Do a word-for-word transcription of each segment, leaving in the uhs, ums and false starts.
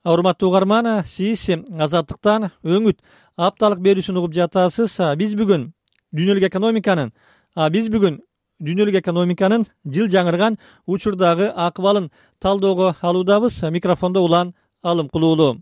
Урматтуу угарман, сиз Азаттыктан өңүт апталык берүүсүн угуп жатасыз. Биз бүгүн дүйнөлүк экономиканын, биз бүгүн дүйнөлүк экономиканын жыл жаңырган учурдагы акыбалын талоого алуудабыз. Микрофондо Улан Алымкулуулу.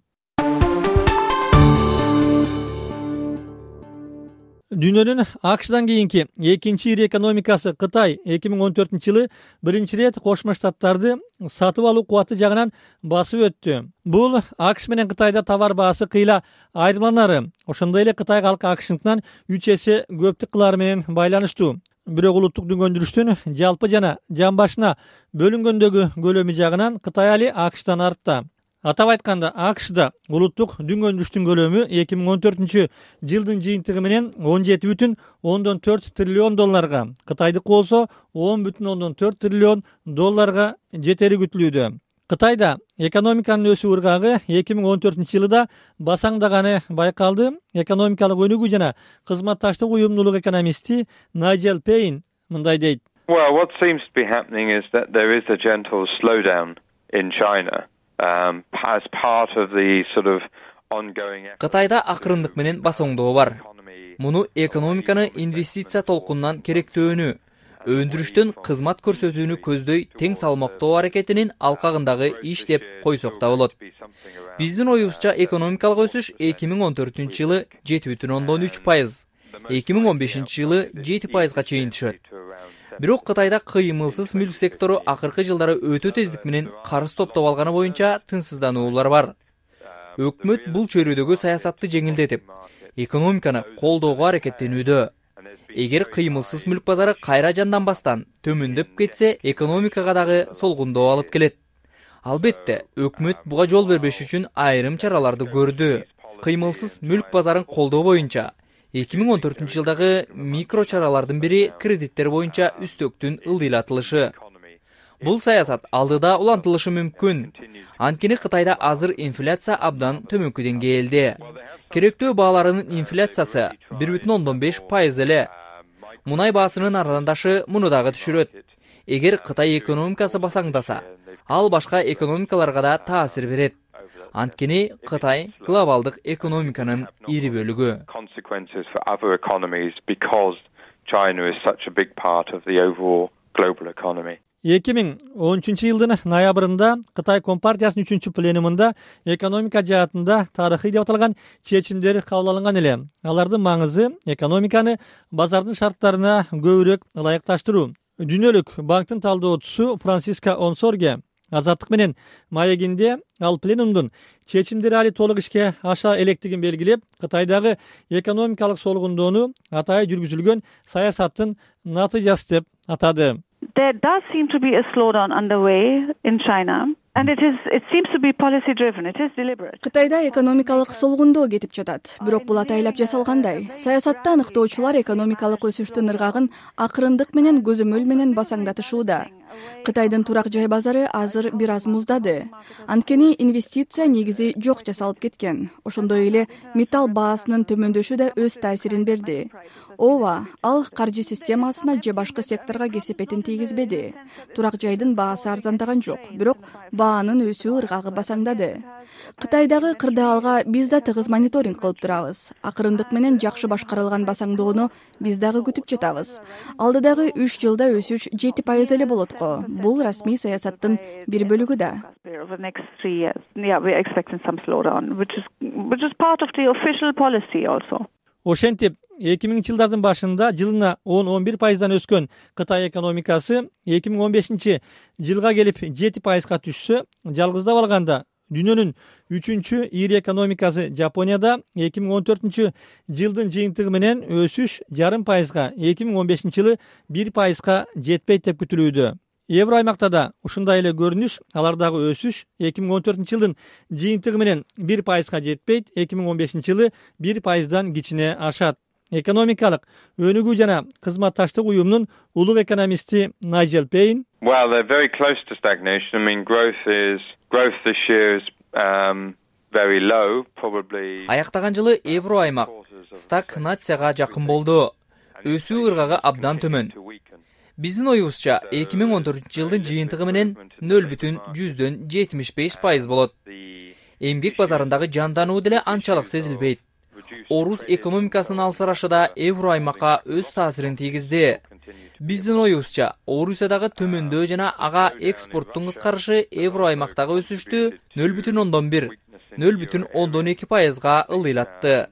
Дүйнөнүн АКШдан кийинки экинчи ири экономикасы Кытай эки миң он төртүнчү жылы биринчи ирет Кошмо Штаттарды сатып алуу кубаты жагынан басып өттү. Бул АКШ менен Кытайда товар баасы кыйла айырмаланары, ошондой эле Кытай калкы АКШныкынан үч эсе көптүк кылары менен байланыштуу. Бирок улуттук дүнгөндүрүштүн жалпы жана жан башына бөлүнгөндөгү көлөмү жагынан Кытай али АКШдан артта. Атап айтканда, АКШда улуттук дүнгөндүрүштүн көлөмү эки миң он төртүнчү жылдын жыйынтыгы менен он жети бүтүн ондон төрт триллион долларга, Кытайдыкы болсо он бүтүн ондон төрт триллион долларга жетери күтүлүүдө. Кытайда экономиканын өсүү ыргагы эки миң он төртүнчү жылы да басаңдаганы байкалды. Экономикалык өнүгүү жана кызматташтык уюмдуулук экономисти Найджел Пейн мындай дейт. Well, what seems to be happening is that there is a gentle slowdown in China. Um, as part of the sort of ongoing Кытайда акырындык менен басоңдоо бар. Муну экономиканы инвестиция толкунунан керектөөнү, өндүрүштөн кызмат көрсөтүүнү көздөй тең салмактоо аракетинин алкагындагы иш деп койсок да болот. Биздин оюбузча экономикалык өсүш эки миң он төртүнчү жылы жети бүтүн ондон үч пайыз, эки миң он бешинчи жылы жети пайызга чейин түшөт. Бирок Кытайда кыймылсыз мүлк сектору акыркы жылдары өтө тездик менен карыз топтоп алганы боюнча тынчсыздануулар бар. Өкмөт бул чөйрөдөгү саясатты жеңилдетип, экономиканы колдоого аракеттенүүдө. Эгер кыймылсыз мүлк базары кайра жанданбастан төмөндөп кетсе, экономикага дагы солгундоо алып келет. Албетте, өкмөт буга жол бербеш үчүн айрым чараларды көрдү. Кыймылсыз мүлк базарын колдоо боюнча эки миң он төртүнчү жылдагы микро чаралардын бири кредиттер боюнча үстөктүн ылдыйлатылышы. Бул саясат алдыда улантылышы мүмкүн. Анткени Кытайда азыр инфляция абдан төмөнкү деңгээлде. Керектөө бааларынын инфляциясы бир бүтүн ондон беш пайыз эле. Мунай баасынын арзандашы муну дагы түшүрөт. Эгер Кытай экономикасы басаңдаса, ал башка экономикаларга да таасир берет. Анткени Кытай глобалдык экономиканын ири бөлүгү. эки миң он үчүнчү жылдын ноябрында Кытай Компартиясынын үчүнчү пленумунда экономика жаатында тарыхый деп аталган чечимдер кабыл алынган эле. Алардын маңызы экономиканы базардын шарттарына көбүрөөк ылайыкташтыруу. Дүйнөлүк банктын талдоочусу Франсиска Онсорге Азаттык менен маегинде ал пленумдун чечимдери али толук ишке аша электигин белгилеп, Кытайдагы экономикалык солгундоону атайын жүргүзүлгөн саясаттын натыйжасы деп атады. There does seem to be a slowdown underway in China. And it is it seems to be policy driven. It is deliberate. Кытайда экономикалык солгундоо кетип жатат. Бирок бул атайлап жасалгандай. Саясатта аныктоочулар экономикалык өсүштүн ыргагын акырындык менен көзөмөл менен басаңдатышууда. Кытайдын турак жай базары азыр бир аз муздады. Анткени инвестиция негизи жок жасалып кеткен. Ошондой эле металл баасынын төмөндөшү да өз таасирин берди. Ооба, ал каржы системасына же башка секторго кесепетин тийгизбеди. Турак жайдын баасы арзандаган жок, бирок баанын өсүү ыргагы басаңдады. Кытайдагы кырдаалга биз да тыгыз мониторинг кылып турабыз. Акырындык менен жакшы башкарылган басаңдоону биз дагы күтүп жатабыз. Алдыдагы үч жылда өсүш жети пайыз эле болот го. Бул расмий саясаттын бир бөлүгү да. Ошентип, эки миңинчи жылдардын башында жылына он он бир пайыздан өскөн Кытай экономикасы эки миң он бешинчи жылга келип жети пайызга түшсө, жалгыздап алганда дүйнөнүн үчүнчү ири экономикасы Жапонияда эки миң он төртүнчү жылдын жыйынтыгы менен өсүш жарым пайызга, эки миң он бешинчи жылы бир пайызга жетпейт деп күтүлүүдө. Евро аймакта да ушундай эле көрүнүш, алардагы өсүш эки миң он төртүнчү жылдын жыйынтыгы менен бир пайызга жетпейт, эки миң он бешинчи жылы бир пайыздан кичине ашат. Экономикалык өнүгүү жана кызматташтык уюмунун улук экономисти Найджел Пейн. Well, they're very close to stagnation. I mean, growth is growth this year is um very low, probably. Аяктаган жылы евро аймак стагнацияга жакын болду. Өсүү ыргагы абдан төмөн. Биздин оюбузча эки миң он төртүнчү жылдын жыйынтыгы менен нөл бүтүн жүздөн жетимиш беш пайыз болот. эмгек базарындагы жандануу деле анчалык сезилбейт. Орус экономикасынын алсырашы да евро аймакка өз таасирин тийгизди. Биздин оюбузча, Орусиядагы төмөндөө жана ага экспорттун кыскарышы евро аймактагы өсүштү нөл бүтүн ондон бир, нөл бүтүн ондон эки пайызга ылдыйлатты.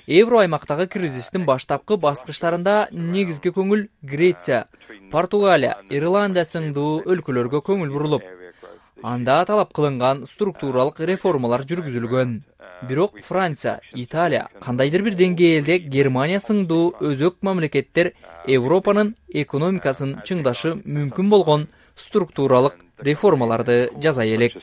Евро аймактагы кризистин баштапкы баскычтарында негизги көңүл Греция, Португалия, Ирландия сыңдуу өлкөлөргө көңүл бурулуп, анда талап кылынган структуралык реформалар жүргүзүлгөн. Бирок Франция, Италия, кандайдыр бир деңгээлде Германия сыңдуу өзөк мамлекеттер Европанын экономикасын чыңдашы мүмкүн болгон структуралык реформаларды жасай элек.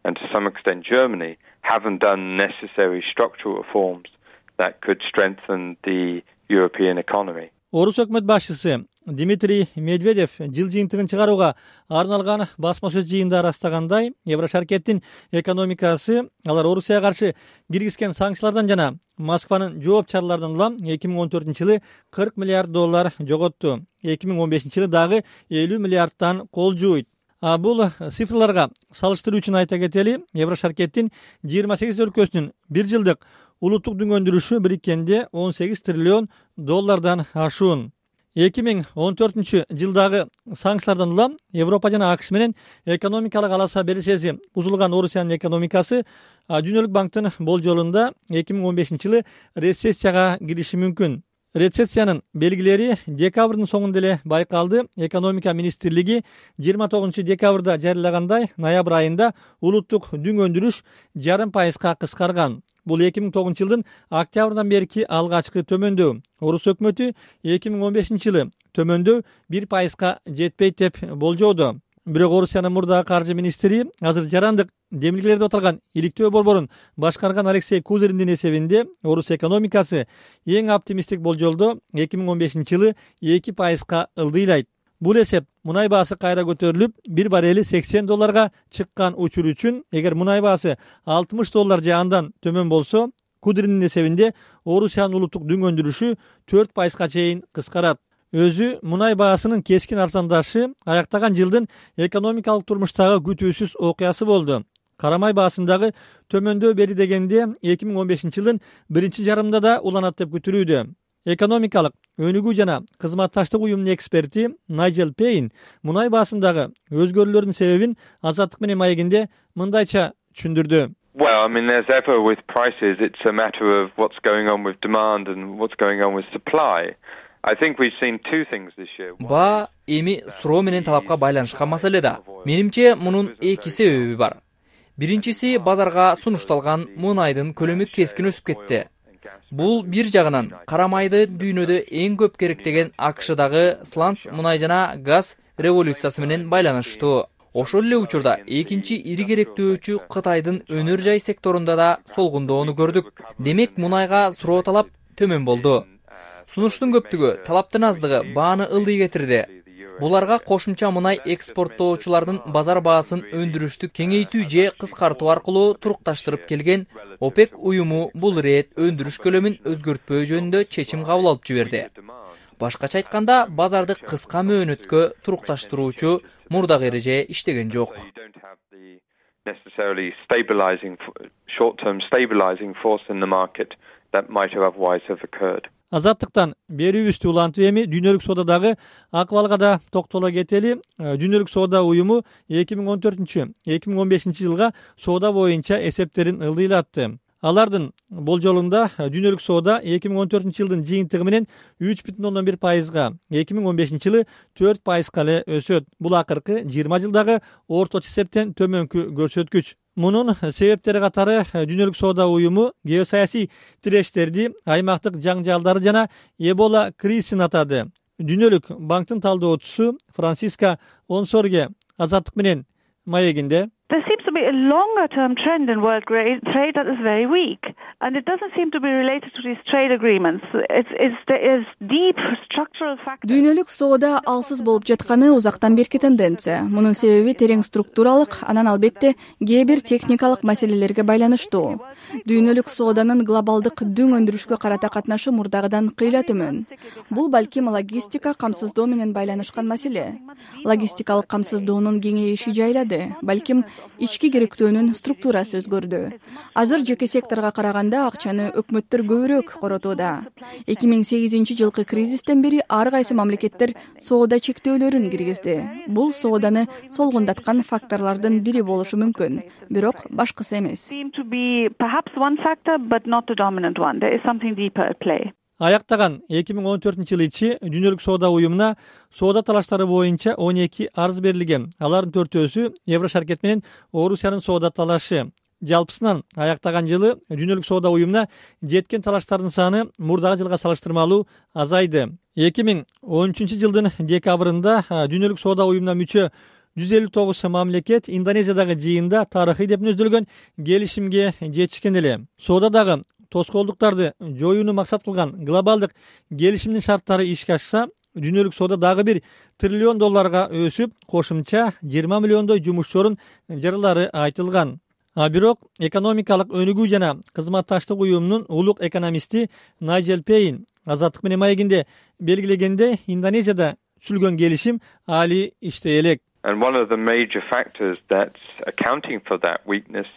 And to some extent Germany haven't done necessary structural reforms that could strengthen the European economy. Орус өкмөт башчысы Дмитрий Медведев жыл жыйынтыгын чыгарууга арналган басма сөз жыйында ырастагандай, Еврошаркеттин экономикасы алар Орусияга каршы киргизген санкциялардан жана Москванын жооп чараларынан улам эки миң он төртүнчү жылы кырк миллиард доллар жоготту. эки миң он бешинчи жылы дагы элүү миллиардтан кол жууйт. А бул цифрларга салыштыруу үчүн айта кетели, Еврошаркеттин жыйырма сегиз өлкөсүнүн бир жылдык улуттук дүң өндүрүшү бириккенде он сегиз триллион доллардан ашуун. эки миң он төртүнчү жылдагы санкциялардан улам Европа жана АКШ менен экономикалык аласа беришеси бузулган Орусиянын экономикасы Дүйнөлүк банктын болжолунда эки миң он бешинчи жылы рецессияга кириши мүмкүн. Рецессиянын белгилери декабрдын соңунда эле байкалды. Экономика министрлиги жыйырма тогузунчу декабрда жарыялагандай, ноябрь айында улуттук дүң өндүрүш жарым пайызга кыскарган. Бул эки миң тогузунчу жылдын октябрдан берки алгачкы төмөндөө. Орус өкмөтү эки миң он бешинчи жылы төмөндөө бир пайызга жетпейт деп болжоодо. Бирок Орусиянын мурдагы каржы министри азыр жарандык демилгелерде отурган иликтөө борборун башкарган Алексей Кудриндин эсебинде Орус экономикасы эң оптимисттик болжолдо эки миң он бешинчи жылы эки пайызга ылдыйлайт. Бул эсеп мунай баасы кайра көтөрүлүп, бир баррели сексен долларга чыккан учур үчүн, эгер мунай баасы алтымыш доллар же андан төмөн болсо, Кудриндин эсебинде Орусиянын улуттук дүң өндүрүшү төрт пайызга чейин кыскарат. Өзү мунай баасынын кескин арзандашы аяктаган жылдын экономикалык турмуштагы күтүүсүз окуясы болду. Карамай баасындагы төмөндөө бери дегенде эки миң он бешинчи жылдын биринчи жарымында да уланат деп күтүлүүдө. Экономикалык өнүгүү жана кызматташтык уюмунун эксперти Найджел Пейн мунай баасындагы өзгөрүүлөрдүн себебин Азаттык менен маегинде мындайча түшүндүрдү. Well, I mean, as ever with prices, it's a matter of what's going on with demand and what's going on with supply. I think we've seen two things this year. Ба эми суроо менен талапка байланышкан маселе да. Менимче мунун эки себеби бар. Биринчиси, базарга сунушталган мунайдын көлөмү кескин өсүп кетти. Бул бир жагынан карамайды дүйнөдө эң көп керектеген АКШдагы сланц мунай жана газ революциясы менен байланыштуу. Ошол эле учурда экинчи ири керектөөчү Кытайдын өнөр жай секторунда да солгундоону көрдүк. Демек мунайга суроо талап төмөн болду. Сунуштун көптүгү, талаптын аздыгы бааны ылдый кетирди. Буларга кошумча мунай экспорттоочулардын базар баасын өндүрүштү кеңейтүү же кыскартуу аркылуу турукташтырып келген ОПЕК уюму бул ирет өндүрүш көлөмүн өзгөртпөө жөнүндө чечим кабыл алып жиберди. Башкача айтканда, базарды кыска мөөнөткө турукташтыруучу мурдагы эреже иштеген жок. Necessarily stabilizing short-term stabilizing force in the market that might have otherwise have occurred. Азаттыктан берүүбүздү улантып эми дүйнөлүк соодадагы акыбалга да токтоло кетели. Дүйнөлүк соода уюму эки миң он төртүнчү - эки миң он бешинчи жылга соода боюнча эсептерин ылдыйлатты. Алардын болжолунда дүйнөлүк соода эки миң он төртүнчү жылдын жыйынтыгы менен үч бүтүн ондон бир пайызга, эки миң он бешинчи жылы төрт пайызга эле өсөт. Бул акыркы жыйырма жылдагы орточо эсептен төмөнкү көрсөткүч. Мунун себептери катары дүйнөлүк соода уюму геосаясий тирештерди, аймактык жаңжалдары жана Эбола кризисин атады. Дүйнөлүк банктын талдоочусу Франциска Онсорге Азаттык менен маегинде There seems to be a longer term trend in world trade that is very weak, and it doesn't seem to be related to these trade agreements. It's, it's, there is deep structural factors. Дүйнөлүк соода алсыз болуп жатканы узактан берки тенденция. Мунун себеби терең структуралык, анан албетте кээ бир техникалык маселелерге байланыштуу. Дүйнөлүк сооданын глобалдык дүң өндүрүшкө карата катнашы мурдагыдан кыйла төмөн. Бул балким логистика камсыздоо менен байланышкан маселе. Логистикалык камсыздоонун кеңейиши жайлады. Балким ички ички керектөөнүн структурасы өзгөрдү. Азыр жеке секторго караганда акчаны өкмөттөр көбүрөөк коротууда. эки миң сегизинчи жылкы кризистен бери ар кайсы мамлекеттер соода чектөөлөрүн киргизди. Бул сооданы солгундаткан факторлордун бири болушу мүмкүн, бирок башкысы эмес. Аяктаган эки миң он төртүнчү жылы ичи Дүйнөлүк соода уюмуна соода талаштары боюнча он эки арыз берилген. Алардын төртөөсү Евро шаркет менен Орусиянын соода талашы. Жалпысынан аяктаган жылы Дүйнөлүк соода уюмуна жеткен талаштардын саны мурдагы жылга салыштырмалуу азайды. эки миң он үчүнчү жылдын декабрында Дүйнөлүк соода уюмуна мүчө жүз элүү тогуз мамлекет Индонезиядагы жыйында тарыхый деп өздөлгөн келишимге жетишкен эле. Соодадагы тоскоолдуктарды жоюуну максат кылган глобалдык келишимдин шарттары ишке ашса, дүйнөлүк соода дагы бир триллион долларга өсүп, кошумча жыйырма миллиондой жумуш орун жарылары айтылган. А бирок экономикалык өнүгүү жана кызматташтык уюмунун улук экономисти Найджел Пейн Азаттык менен маегинде белгилегенде, Индонезияда түзүлгөн келишим али иштей элек. And one of the major factors that's accounting for that weakness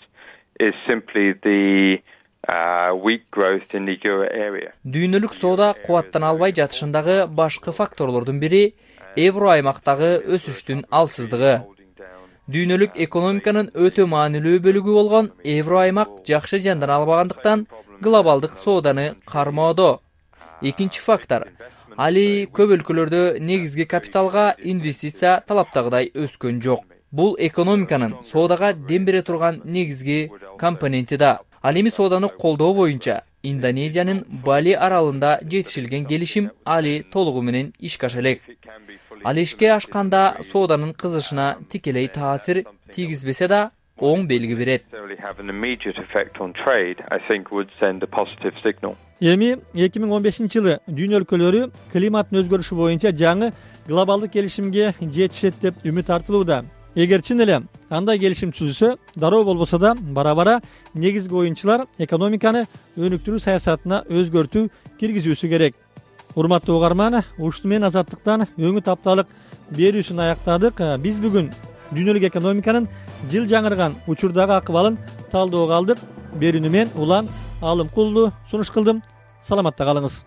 is simply the uh, weak growth in the euro area. Дүйнөлүк соода кубаттана албай жатышындагы башкы факторлордун бири евро аймактагы өсүштүн алсыздыгы. Дүйнөлүк экономиканын өтө маанилүү бөлүгү болгон евро аймак жакшы жандана албагандыктан глобалдык сооданы кармоодо. Экинчи фактор али көп өлкөлөрдө негизги капиталга инвестиция талаптагыдай өскөн жок. Бул экономиканын соодага дем бере турган негизги компоненти да. Ал эми сооданы колдоо боюнча Индонезиянын Бали аралында жетишилген келишим али толугу менен ишке аша элек. Ал ишке ашканда сооданын кызышына тикелей таасир тийгизбесе да оң белги берет. Эми эки миң он бешинчи жылы дүйнө өлкөлөрү климаттын өзгөрүшү боюнча жаңы глобалдык келишимге жетишет деп үмүт артылууда. Эгер чын эле андай келишим түзүлсө, дароо болбосо да бара-бара негизги оюнчулар экономиканы өнүктүрүү саясатына өзгөртүү киргизүүсү керек. Урматтуу угарман, ушуну менен Азаттыктан өңү тапталык берүүсүн аяктадык. Биз бүгүн дүйнөлүк экономиканын жыл жаңырган учурдагы акыбалын талдоого алдык. Берүүнү мен Улан Алымкулду сунуш кылдым. Саламатта калыңыз.